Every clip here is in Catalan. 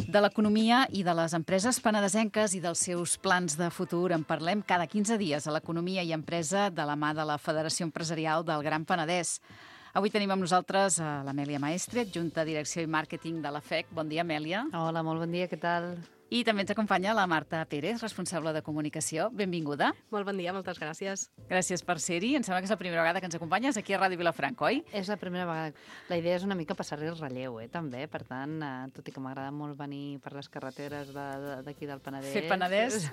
De l'economia i de les empreses penedesenques i dels seus plans de futur en parlem cada 15 dies a l'Economia i Empresa de la mà de la Federació Empresarial del Gran Penedès. Avui tenim amb nosaltres l'Amèlia Maestre, adjunta Direcció i Màrqueting de la FEC. Bon dia, Amèlia. Hola, molt bon dia, què tal? I també ens acompanya la Marta Pérez, responsable de comunicació. Benvinguda. Molt bon dia, moltes gràcies. Gràcies per ser-hi. Em sembla que és la primera vegada que ens acompanyes aquí a Ràdio Vilafranca, oi? És la primera vegada. La idea és una mica passar-li el relleu, també. Per tant, tot i que m'agrada molt venir per les carreteres d'aquí del Penedès... Fer Penedès.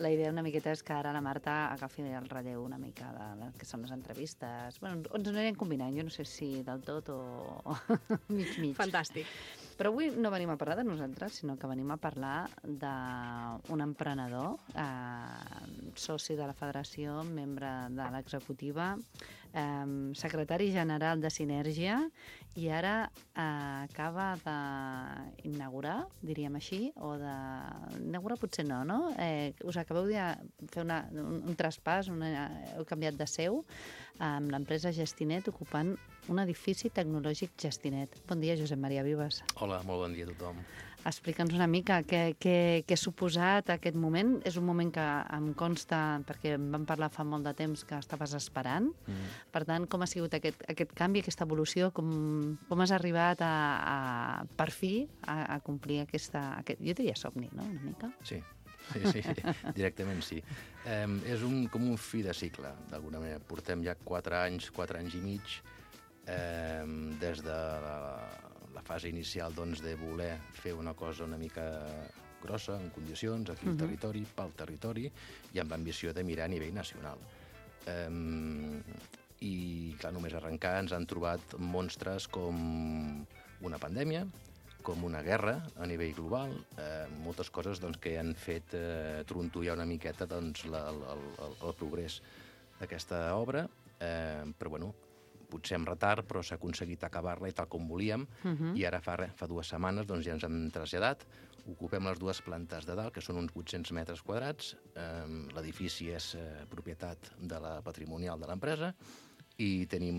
La idea una miqueta és que ara la Marta agafi el relleu una mica de que són les entrevistes. Bueno, ens anirem combinant, jo no sé si del tot o mig-mig. Fantàstic. Però avui no venim a parlar de nosaltres, sinó que venim a parlar d'un emprenedor, soci de la Federació, membre de l'executiva, secretari general de Sinergia, i ara acaba d'inaugurar, diríem així, o d'inaugurar potser no? Us acabeu de fer un traspàs, heu canviat de seu amb l'empresa Gestinet, ocupant un edifici tecnològic Gestinet. Bon dia, Josep Maria Vives. Hola, molt bon dia a tothom. Explica'ns una mica què ha suposat aquest moment. És un moment que em consta, perquè em vam parlar fa molt de temps, que estaves esperant. Per tant, com ha sigut aquest canvi, aquesta evolució? Com has arribat per fi a complir aquest, jo diria somni, no?, una mica? Sí, directament sí. És com un fi de cicle, d'alguna manera. Portem ja 4 anys i mig, des de la fase inicial de voler fer una cosa una mica grossa, en condicions, aquí al territori, pel territori, i amb l'ambició de mirar a nivell nacional. I, clar, només arrencar ens han trobat monstres com una pandèmia, com una guerra a nivell global, moltes coses que han fet trontollar una miqueta el progrés d'aquesta obra, però bueno, potser amb retard, però s'ha aconseguit acabar-la i tal com volíem, i ara fa 2 setmanes ja ens hem traslladat, ocupem les 2 plantes de dalt, que són uns 800 metres quadrats, l'edifici és propietat de la patrimonial de l'empresa, i tenim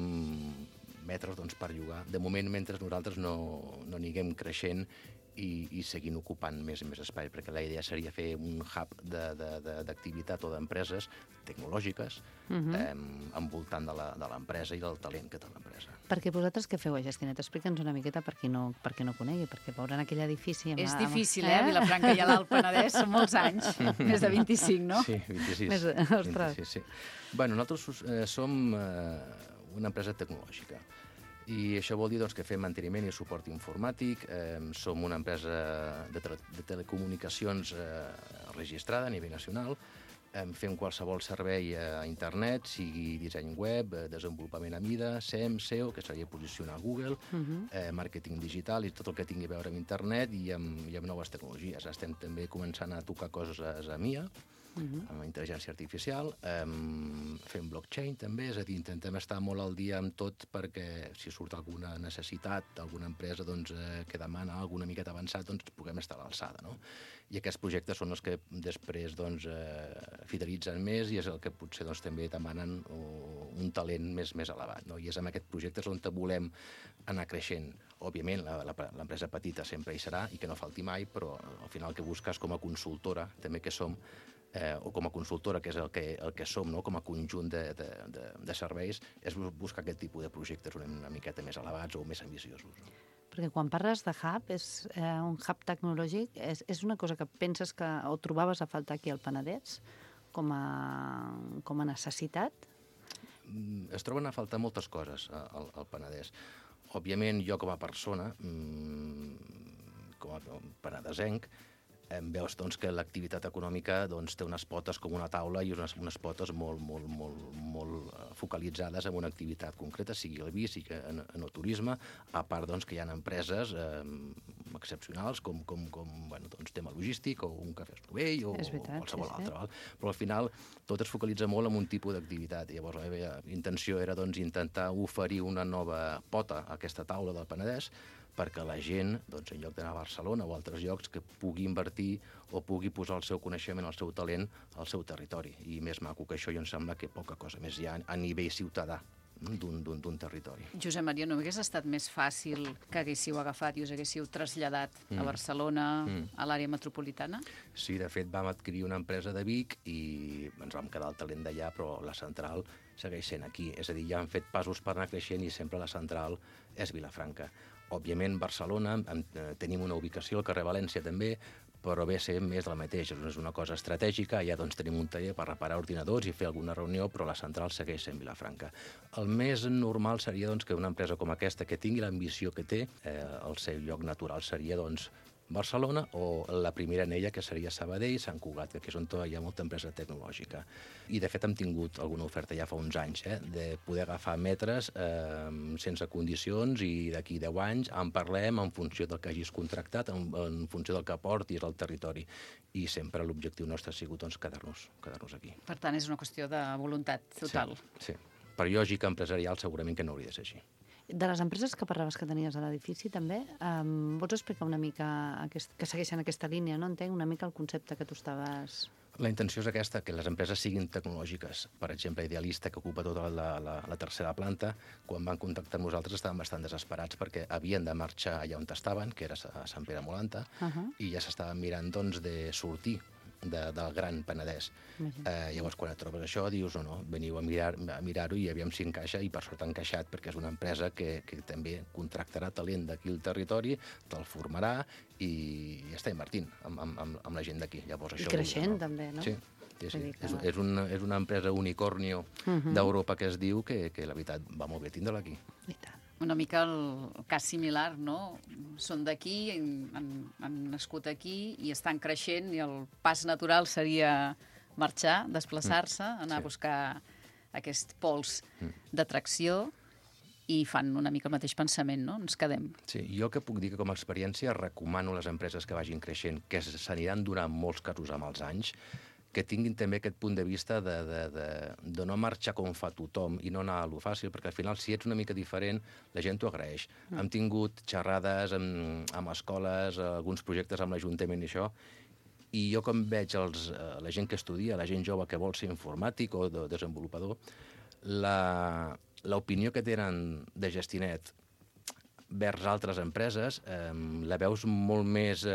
metres per llogar. De moment, mentre nosaltres no anirem creixent i seguint ocupant més i més espai, perquè la idea seria fer un hub d'activitat o d'empreses tecnològiques envoltant de l'empresa i del talent que té l'empresa. Perquè vosaltres què feu a Gestinet? Explica'ns una miqueta per qui no conegui, perquè veuran aquell edifici... És difícil, Vilafranca i a l'Alt Penedès, són molts anys, més de 25, no? Sí, 26. Ostres. 26, sí. Bueno, nosaltres som una empresa tecnològica, i això vol dir que fem manteniment i suport informàtic, som una empresa de telecomunicacions registrada a nivell nacional, fem qualsevol servei a internet, sigui disseny web, desenvolupament a mida, SEM, SEO, que seria posicionar a Google, màrqueting digital i tot el que tingui a veure amb internet i amb noves tecnologies. Estem també començant a tocar coses a MIA, amb intel·ligència artificial, fem blockchain també, és a dir, intentem estar molt al dia amb tot perquè si surt alguna necessitat d'alguna empresa que demana alguna miqueta avançat, puguem estar a l'alçada, no? I aquests projectes són els que després fidelitzen més i és el que potser també demanen un talent més elevat, no? I és amb aquests projectes on volem anar creixent. Òbviament, l'empresa petita sempre hi serà i que no falti mai, però al final el que busques com a consultora, també que som, o com a consultora, que és el que som, no? Com a conjunt de serveis, és buscar aquest tipus de projectes una miqueta més elevats o més ambiciosos. Perquè quan parles de hub, és un hub tecnològic, és una cosa que penses o trobaves a faltar aquí al Penedès com a necessitat? Es troben a faltar moltes coses al Penedès. Òbviament, jo com a persona, com a penedesenc, veus que l'activitat econòmica té unes potes com una taula i unes potes molt focalitzades en una activitat concreta, sigui el vi, sigui en el turisme, a part que hi ha empreses excepcionals com tema logístic o un cafè esnovell o qualsevol altre. Però al final tot es focalitza molt en un tipus d'activitat. Llavors la meva intenció era intentar oferir una nova pota a aquesta taula del Penedès perquè la gent, en lloc d'anar a Barcelona o a altres llocs, que pugui invertir o pugui posar el seu coneixement, el seu talent al seu territori. I més maco que això, em sembla que poca cosa més hi ha a nivell ciutadà. d'un territori. Josep Maria, no hagués estat més fàcil que haguéssiu agafat i us haguéssiu traslladat a Barcelona, a l'àrea metropolitana? Sí, de fet vam adquirir una empresa de Vic i ens vam quedar el talent d'allà, però la central segueix sent aquí. És a dir, ja han fet passos per anar creixent i sempre la central és Vilafranca. Òbviament, Barcelona, tenim una ubicació al carrer València també, però ve a ser més del mateix. És una cosa estratègica, allà doncs, tenim un taller per reparar ordinadors i fer alguna reunió, però la central segueix sent Vilafranca. El més normal seria doncs, que una empresa com aquesta, que tingui l'ambició que té, el seu lloc natural seria doncs, Barcelona o la primera anella, que seria Sabadell, Sant Cugat, que és on hi ha molta empresa tecnològica. I, de fet, hem tingut alguna oferta ja fa uns anys, de poder agafar metres sense condicions i d'aquí 10 anys en parlem en funció del que hagis contractat, en funció del que aportis al territori. I sempre l'objectiu nostre ha sigut doncs, quedar-nos aquí. Per tant, és una qüestió de voluntat total. Sí. Per lògica empresarial segurament que no hauria de ser així. De les empreses que parlaves que tenies a l'edifici, també, vols explicar una mica, que segueixen aquesta línia, no? Entenc una mica el concepte que tu estaves... La intenció és aquesta, que les empreses siguin tecnològiques. Per exemple, Idealista, que ocupa tota la tercera planta, quan van contactar amb nosaltres estaven bastant desesperats perquè havien de marxar allà on estaven, que era a Sant Pere Molanta, i ja s'estaven mirant doncs, de sortir del Gran Penedès. Llavors, quan et trobes això, dius, no, veniu a mirar-ho i aviam si encaixa, i per sort ha encaixat, perquè és una empresa que també contractarà talent d'aquí al territori, te'l formarà i està invertint amb la gent d'aquí. I creixent, també, no? Sí. És una empresa unicornio d'Europa que es diu que la veritat va molt bé tindre-la aquí. I tant. Una mica el cas similar, no? Són d'aquí, han nascut aquí i estan creixent i el pas natural seria marxar, desplaçar-se, anar a buscar aquest pols d'atracció i fan una mica el mateix pensament, no? Ens quedem. Sí, jo que puc dir que com a experiència recomano a les empreses que vagin creixent, que s'aniran donant molts casos amb els anys, que tinguin també aquest punt de vista de no marxar com fa tothom i no anar a lo fàcil, perquè al final, si ets una mica diferent, la gent t'ho agraeix. Hem tingut xerrades amb escoles, alguns projectes amb l'Ajuntament i això, i jo com veig la gent que estudia, la gent jove que vol ser informàtic o desenvolupador, l'opinió que tenen de Gestinet vers altres empreses la veus molt més...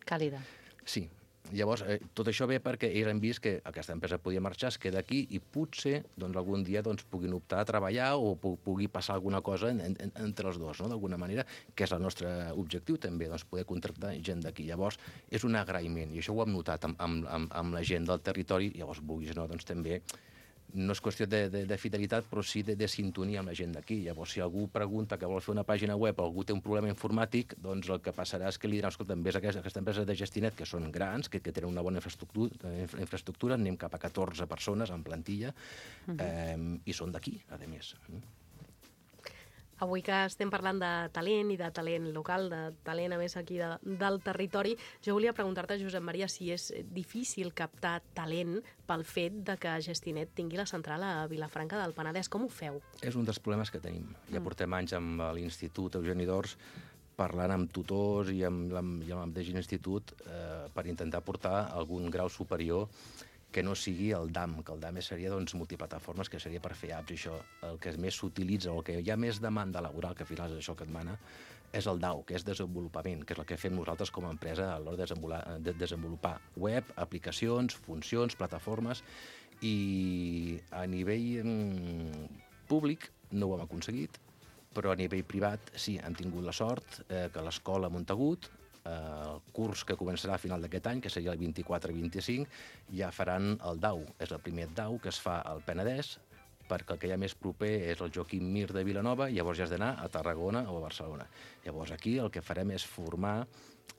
Càlida. Sí. Llavors, tot això ve perquè ells han vist que aquesta empresa podia marxar, es queda aquí i potser algun dia puguin optar a treballar o pugui passar alguna cosa entre els dos, d'alguna manera, que és el nostre objectiu també, poder contractar gent d'aquí. Llavors, és un agraïment, i això ho hem notat amb la gent del territori, llavors vulguis o no, també no és qüestió de fidelitat, però sí de sintonia amb la gent d'aquí. Llavors, si algú pregunta que vol fer una pàgina web o algú té un problema informàtic, doncs el que passarà és que li diran, escolta, ves a aquesta empresa de Gestinet, que són grans, que tenen una bona infraestructura, anem cap a 14 persones en plantilla, i són d'aquí, a més. Avui que estem parlant de talent i de talent local, de talent a més aquí del territori, jo volia preguntar-te, Josep Maria, si és difícil captar talent pel fet de que Gestinet tingui la central a Vilafranca del Penedès. Com ho feu? És un dels problemes que tenim. Ja portem anys amb l'Institut Eugeni d'Ors parlant amb tutors i amb el mateix institut per intentar portar algun grau superior que no sigui el DAM, que el DAM seria multiplataformes, que seria per fer apps, i això el que més s'utilitza, o el que hi ha més demanda laboral, que al final és això que et mana, és el DAO, que és desenvolupament, que és el que fem nosaltres com a empresa a l'hora de desenvolupar web, aplicacions, funcions, plataformes, i a nivell públic no ho hem aconseguit, però a nivell privat sí, hem tingut la sort que l'escola Montagut, el curs que començarà a final d'aquest any, que seria el 24-25, ja faran el DAO. És el primer DAO que es fa al Penedès, perquè el que hi ha més proper és el Joaquim Mir de Vilanova, i llavors ja has d'anar a Tarragona o a Barcelona. Llavors aquí el que farem és formar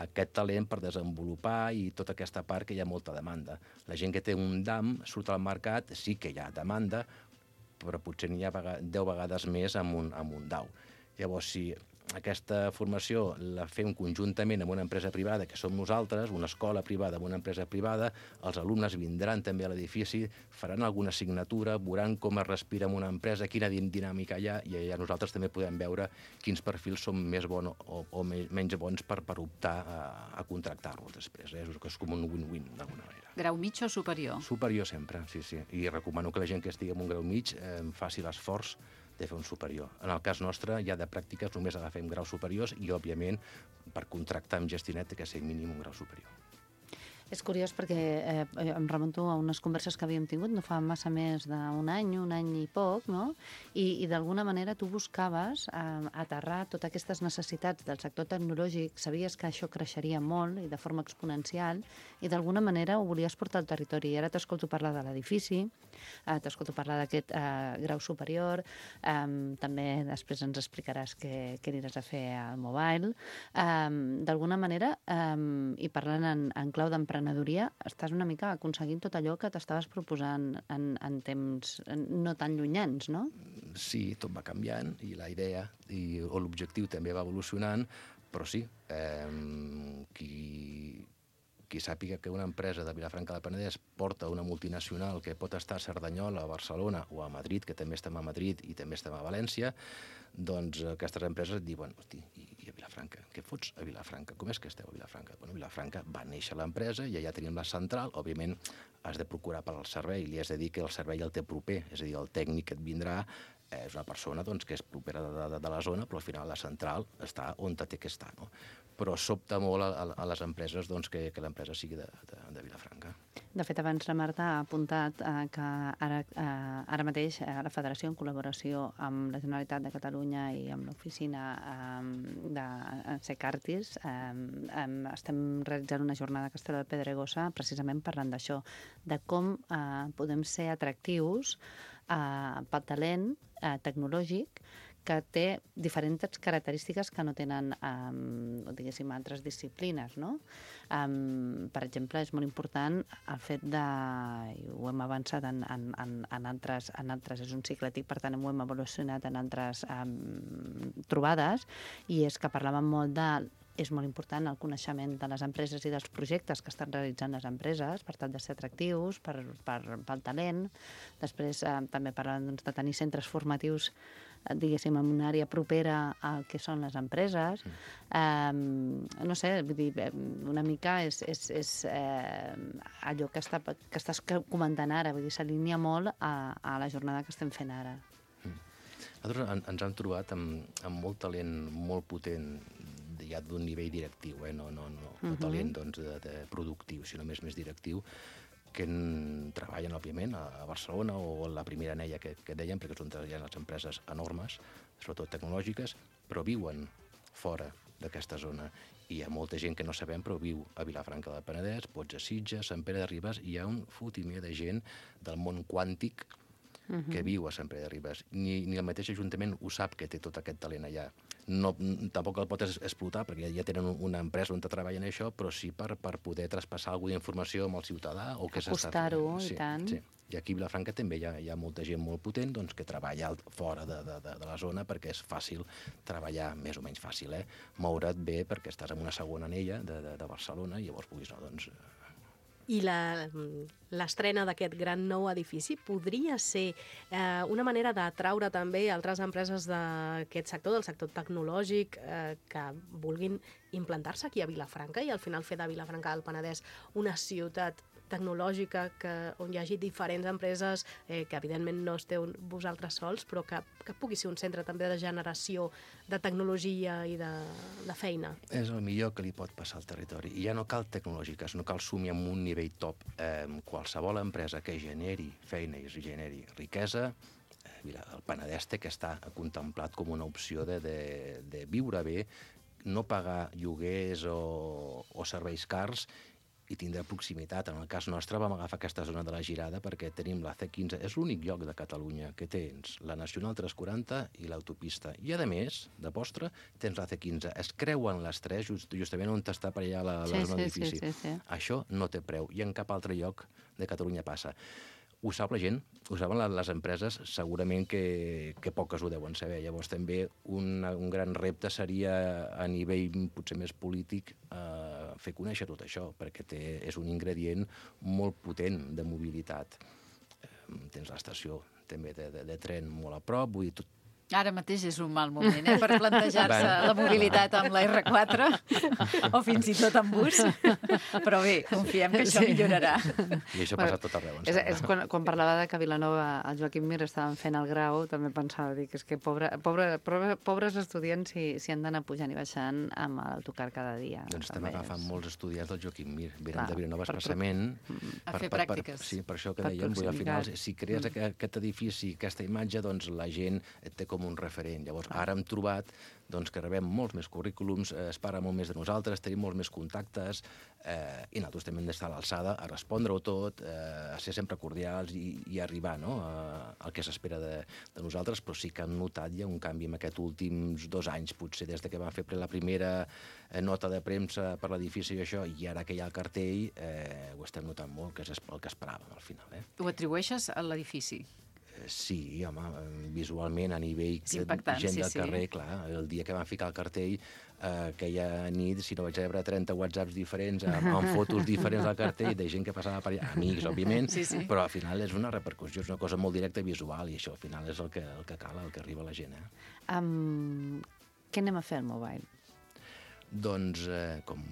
aquest talent per desenvolupar i tota aquesta part que hi ha molta demanda. La gent que té un DAM surt al mercat, sí que hi ha demanda, però potser n'hi ha 10 vegades més amb un DAO. Llavors, si aquesta formació la fem conjuntament amb una empresa privada, que som nosaltres, una escola privada amb una empresa privada, els alumnes vindran també a l'edifici, faran alguna assignatura, veuran com es respira en una empresa, quina dinàmica hi ha, i allà nosaltres també podem veure quins perfils són més bons o menys bons per optar a contractar-los després. És com un win-win, d'alguna manera. Grau mig o superior? Superior sempre, sí. I recomano que la gent que estigui en un grau mig faci l'esforç de fer un superior. En el cas nostre, ja de pràctiques només agafem graus superiors i, òbviament, per contractar amb Gestionet té que ser mínim un grau superior. És curiós perquè em remunto a unes converses que havíem tingut no fa massa més d'un any i poc, no? I d'alguna manera tu buscaves aterrar totes aquestes necessitats del sector tecnològic, sabies que això creixeria molt i de forma exponencial, i d'alguna manera ho volies portar al territori. I ara t'escolto parlar de l'edifici, t'escolto parlar d'aquest grau superior, també després ens explicaràs què aniràs a fer al mobile. D'alguna manera, i parlant en clau d'emprenedoria, estàs una mica aconseguint tot allò que t'estaves proposant en temps no tan llunyans, no? Sí, tot va canviant i la idea o l'objectiu també va evolucionant, però sí, qui sàpiga que una empresa de Vilafranca del Penedès porta una multinacional que pot estar a Cerdanyola, a Barcelona o a Madrid, que també estem a Madrid i també estem a València, doncs aquestes empreses et diuen, hosti, i a Vilafranca? Què fots a Vilafranca? Com és que esteu a Vilafranca? Bueno, a Vilafranca va néixer l'empresa i allà tenim la central. Òbviament, has de procurar per al servei, li has de dir que el servei el té proper, és a dir, el tècnic que et vindrà és una persona que és propera de la zona, però al final la central està on té que estar, no? Però sobta molt a les empreses que l'empresa sigui de Vilafranca. De fet, abans la Marta ha apuntat que ara mateix la Federació, en col·laboració amb la Generalitat de Catalunya i amb l'oficina de Secartis, estem realitzant una jornada a Castelló de Pedregosa precisament parlant d'això, de com podem ser atractius pel talent tecnològic que té diferents característiques que no tenen, diguéssim, altres disciplines, no? Per exemple, és molt important el fet de, i ho hem avançat en altres, és un ciclètic, per tant ho hem evolucionat en altres trobades, i és que parlàvem molt és molt important el coneixement de les empreses i dels projectes que estan realitzant les empreses per tal de ser atractius pel talent. Després també parlàvem de tenir centres formatius, diguéssim, en una àrea propera al que són les empreses. No sé, vull dir, una mica és allò que estàs comentant ara, vull dir, s'alinea molt a la jornada que estem fent ara. Nosaltres ens hem trobat amb molt talent molt potent, ja d'un nivell directiu, no talent productiu, sinó més directiu, que treballen, òbviament, a Barcelona o a la primera anella que dèiem, perquè són ja les empreses enormes, sobretot tecnològiques, però viuen fora d'aquesta zona. I hi ha molta gent que no sabem, però viu a Vilafranca del Penedès, pots a Sitges, Sant Pere de Ribes, i hi ha un fotimer de gent del món quàntic que viu a Sant Pere de Ribes. Ni el mateix Ajuntament ho sap, que té tot aquest talent allà. Tampoc el pot explotar, perquè ja tenen una empresa on treballen això, però sí per poder traspassar alguna informació amb el ciutadà. Acostar-ho, i tant. Sí. I aquí a Vilafranca també hi ha molta gent molt potent que treballa fora de la zona, perquè és fàcil treballar, més o menys fàcil, moure't bé perquè estàs en una segona anella de Barcelona i llavors puguis anar, doncs... I l'estrena d'aquest gran nou edifici podria ser una manera d'atraure també altres empreses d'aquest sector, del sector tecnològic, que vulguin implantar-se aquí a Vilafranca i al final fer de Vilafranca del Penedès una ciutat tecnològica on hi hagi diferents empreses que evidentment no esteu vosaltres sols, però que pugui ser un centre també de generació de tecnologia i de feina. És el millor que li pot passar al territori. I ja no cal tecnològiques, no cal sumir amb un nivell top. Qualsevol empresa que generi feina i generi riquesa, el Penedès té que estar contemplat com una opció de viure bé, no pagar lloguers o serveis cars, i tindrà proximitat. En el cas nostre vam agafar aquesta zona de la Girada perquè tenim la C15, és l'únic lloc de Catalunya que tens la Nacional 340 i l'autopista. I a més, de postre, tens la C15. Es creuen les tres justament on està per allà la zona d'edifici. Sí. Això no té preu i en cap altre lloc de Catalunya passa. Ho sap la gent, ho saben les empreses, segurament que poques ho deuen saber. Llavors també un gran repte seria a nivell potser més polític fer conèixer tot això, perquè és un ingredient molt potent de mobilitat. Tens l'estació també de tren molt a prop, vull dir, Ara mateix és un mal moment, per plantejar-se la mobilitat amb la R4 o fins i tot amb bus. Però bé, confiem que això millorarà. I això passa a tot arreu. És quan parlava de que a Vilanova el Joaquim Mir estaven fent el grau, també pensava dir que és que pobres estudiants si han d'anar pujant i baixant amb l'autocar cada dia. Doncs estem agafant molts estudiants del Joaquim Mir. Venen de Vilanova expressament a fer pràctiques. Sí, per això que dèiem, al final, si crees aquest edifici, aquesta imatge, doncs la gent et té com un referent. Llavors, ara hem trobat que rebem molts més currículums, es parla molt més de nosaltres, tenim molts més contactes, i nosaltres també hem d'estar a l'alçada, a respondre-ho tot, a ser sempre cordials i arribar al que s'espera de nosaltres, però sí que hem notat ja un canvi en aquests últims 2 anys, potser des que vam fer la primera nota de premsa per l'edifici i això, i ara que hi ha el cartell, ho estem notant molt, que és el que esperàvem al final. Ho atribueixes a l'edifici? Sí, home, visualment, a nivell gent del carrer, clar, el dia que van ficar el cartell, aquella nit, si no vaig rebre 30 whatsapps diferents, amb fotos diferents del cartell, de gent que passava per allà, amics, òbviament, però al final és una repercussió, és una cosa molt directa i visual, i això al final és el que cal, el que arriba a la gent. Què anem a fer al Mobile? Doncs, com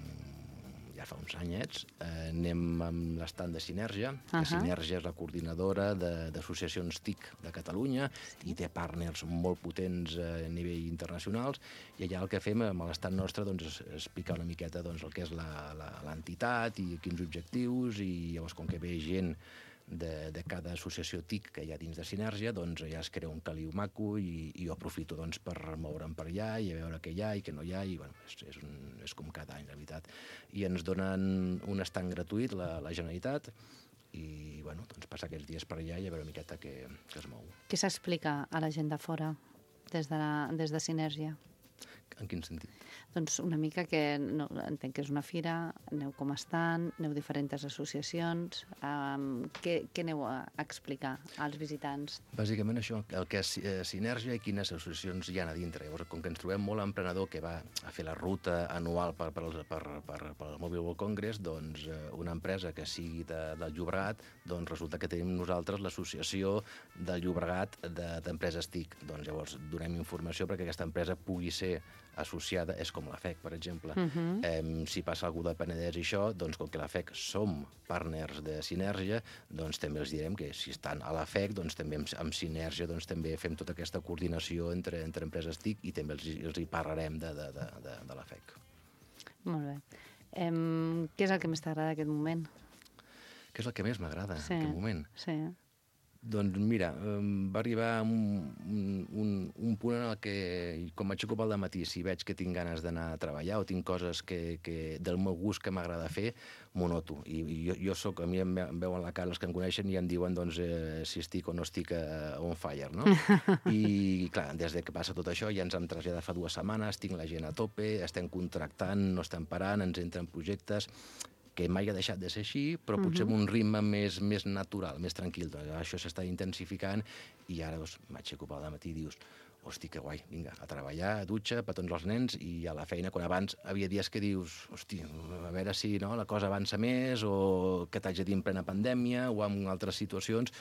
ja fa uns anyets, anem amb l'estand de Sinergia. Sinergia és la coordinadora d'associacions TIC de Catalunya i té partners molt potents a nivell internacionals, i allà el que fem amb l'estand nostre és explicar una miqueta el que és l'entitat i quins objectius, i llavors com que ve gent de cada associació TIC que hi ha dins de Sinergia, doncs ja es crea un caliu maco i jo aprofito per moure'm per allà i a veure què hi ha i què no hi ha, i bueno, és com cada any, la veritat. I ens donen un estand gratuït, la Generalitat, i bueno, passar aquests dies per allà i a veure una miqueta què es mou. Què s'explica a la gent de fora des de Sinergia? En quin sentit? Doncs una mica que entenc que és una fira, aneu com estan, aneu diferents associacions, què aneu a explicar als visitants? Bàsicament això, el que és Sinergia i quines associacions hi ha a dintre. Llavors, com que ens trobem molt emprenedor que va a fer la ruta anual per al Mobile World Congress, doncs una empresa que sigui del Llobregat, doncs resulta que tenim nosaltres l'associació del Llobregat d'empreses TIC. Doncs llavors donem informació perquè aquesta empresa pugui ser associada, és com la FEC, per exemple. Si passa algú del Penedès i això, doncs com que la FEC som partners de Sinergia, doncs també els direm que si estan a la FEC, doncs també amb Sinergia també fem tota aquesta coordinació entre empreses TIC i també els hi parlarem de la FEC. Molt bé. Què és el que més t'agrada d'aquest moment? Què és el que més m'agrada en aquest moment? Sí. Doncs mira, va arribar un punt en el que, quan m'aixeco pel dematí, si veig que tinc ganes d'anar a treballar o tinc coses del meu gust que m'agrada fer, m'ho noto. I jo soc, a mi em veuen la cara els que em coneixen i em diuen si estic o no estic on fire, no? I clar, des que passa tot això ja ens hem traslladat fa 2 setmanes, tinc la gent a tope, estem contractant, no estem parant, ens entren projectes que mai ha deixat de ser així, però potser amb un ritme més natural, més tranquil. Això s'està intensificant i ara m'aixeco pel dematí i dius, hosti, que guai, vinga, a treballar, a dutxa, petons els nens i a la feina, quan abans havia dies que dius, hosti, a veure si la cosa avança més o que t'haig de dir en plena pandèmia o en altres situacions,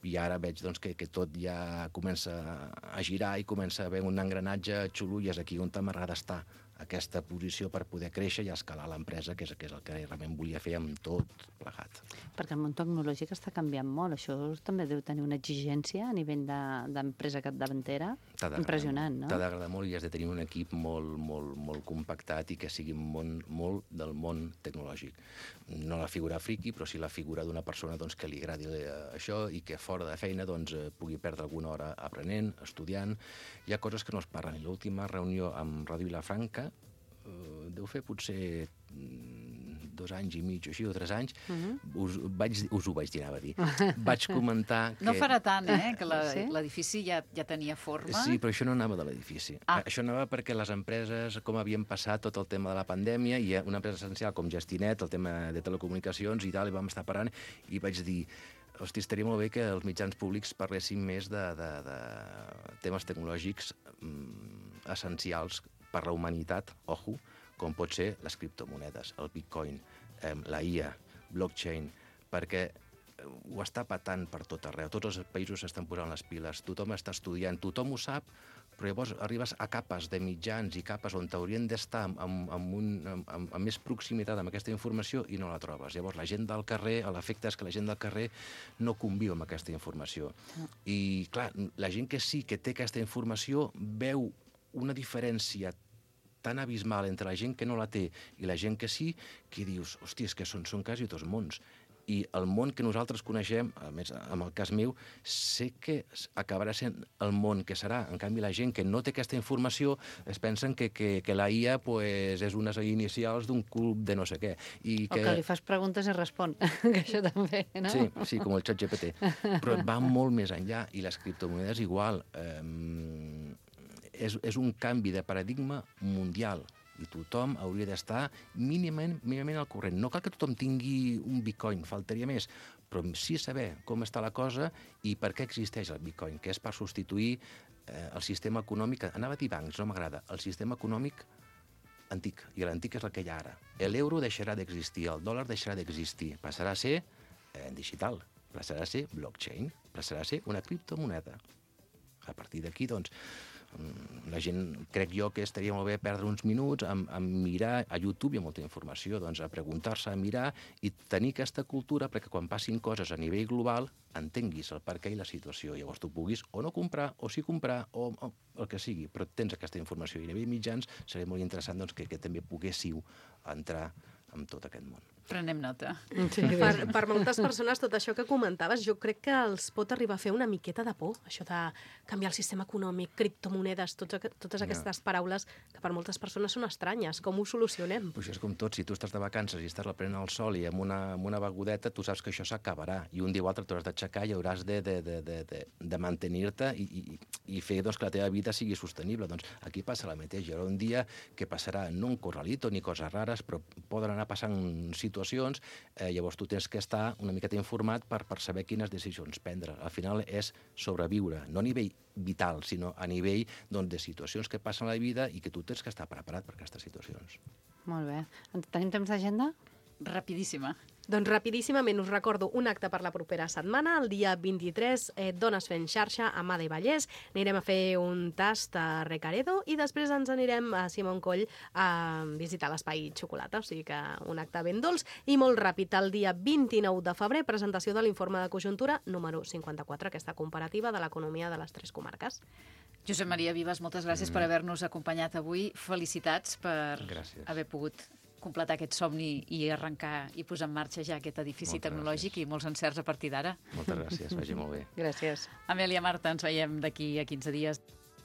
i ara veig que tot ja comença a girar i comença a haver un engranatge xulo i és aquí on m'agrada estar, aquesta posició per poder créixer i escalar l'empresa, que és el que realment volia fer amb tot plegat. Perquè el món tecnològic està canviant molt. Això també deu tenir una exigència a nivell d'empresa capdavantera impressionant, no? T'ha d'agradar molt i has de tenir un equip molt compactat i que sigui molt del món tecnològic. No la figura friki, però sí la figura d'una persona que li agradi això i que fora de feina pugui perdre alguna hora aprenent, estudiant. Hi ha coses que no es parlen. L'última reunió amb Ràdio Vilafranca deu fer potser 2 anys i mig o així, o 3 anys, us ho vaig dir, anava a dir. Vaig comentar que... No farà tant, que l'edifici ja tenia forma. Sí, però això no anava de l'edifici. Això anava perquè les empreses, com havien passat tot el tema de la pandèmia, i una empresa essencial com Gestinet, el tema de telecomunicacions i tal, i vam estar parant, i vaig dir, hosti, estaria molt bé que els mitjans públics parlessin més de temes tecnològics essencials per la humanitat, ojo, com pot ser les criptomonedes, el bitcoin, la IA, blockchain, perquè ho està patant per tot arreu. Tots els països s'estan posant les piles, tothom està estudiant, tothom ho sap, però llavors arribes a capes de mitjans i capes on t'haurien d'estar amb més proximitat amb aquesta informació i no la trobes. Llavors la gent del carrer, l'efecte és que la gent del carrer no conviu amb aquesta informació. I clar, la gent que sí que té aquesta informació veu una diferència tan abismal entre la gent que no la té i la gent que sí, que dius, hòstia, és que són quasi dos mons. I el món que nosaltres coneixem, a més, en el cas meu, sé que acabarà sent el món que serà. En canvi, la gent que no té aquesta informació es pensen que la IA és unes inicials d'un club de no sé què. O que li fas preguntes i respon, que això també, no? Sí, com el ChatGPT. Però va molt més enllà, i les criptomonedes igual. És un canvi de paradigma mundial, i tothom hauria d'estar mínimament al corrent. No cal que tothom tingui un bitcoin, faltaria més, però sí saber com està la cosa i per què existeix el bitcoin, que és per substituir el sistema econòmic, anava a dir bancs, no m'agrada, el sistema econòmic antic, i l'antic és el que hi ha ara. L'euro deixarà d'existir, el dòlar deixarà d'existir, passarà a ser digital, passarà a ser blockchain, passarà a ser una criptomoneda. A partir d'aquí, doncs, la gent, crec jo, que estaria molt bé perdre uns minuts a mirar a YouTube, hi ha molta informació, doncs a preguntar-se, a mirar i tenir aquesta cultura perquè quan passin coses a nivell global entenguis el per què i la situació. Llavors tu puguis o no comprar, o sí comprar, o el que sigui, però tens aquesta informació. I a nivell mitjans seria molt interessant doncs, que també poguéssiu entrar en tot aquest món. Prenem nota. Sí, per moltes persones, tot això que comentaves, jo crec que els pot arribar a fer una miqueta de por, això de canviar el sistema econòmic, criptomonedes, totes aquestes paraules que per moltes persones són estranyes. Com ho solucionem? Pues és com tot, si tu estàs de vacances i estàs prenent el sol i amb una begudeta, tu saps que això s'acabarà i un dia o altre t'hauràs d'aixecar i hauràs de mantenir-te i fer doncs, que la teva vida sigui sostenible. Doncs aquí passa la mateixa. Hi haurà un dia que passarà no un corralito ni coses rares, però poden anar passant situacions, llavors tu tens que estar una miqueta informat per saber quines decisions prendre. Al final és sobreviure, no a nivell vital, sinó a nivell de situacions que passen a la vida i que tu tens que estar preparat per aquestes situacions. Molt bé. Tenim temps d'agenda? Rapidíssima. Doncs rapidíssimament us recordo un acte per la propera setmana, el dia 23, Dones fent xarxa a Mada i Vallès. Anirem a fer un tast a Recaredo i després ens anirem a Simon Coll a visitar l'espai xocolata, o sigui que un acte ben dolç i molt ràpid. El dia 29 de febrer, presentació de l'informe de conjuntura número 54, aquesta comparativa de l'economia de les 3 comarques. Josep Maria Vives, moltes gràcies per haver-nos acompanyat avui. Felicitats per haver pogut completar aquest somni i arrencar i posar en marxa ja aquest edifici tecnològic i molts encerts a partir d'ara. Moltes gràcies, vagi molt bé. Gràcies. Amèlia, Marta, ens veiem d'aquí a 15 dies.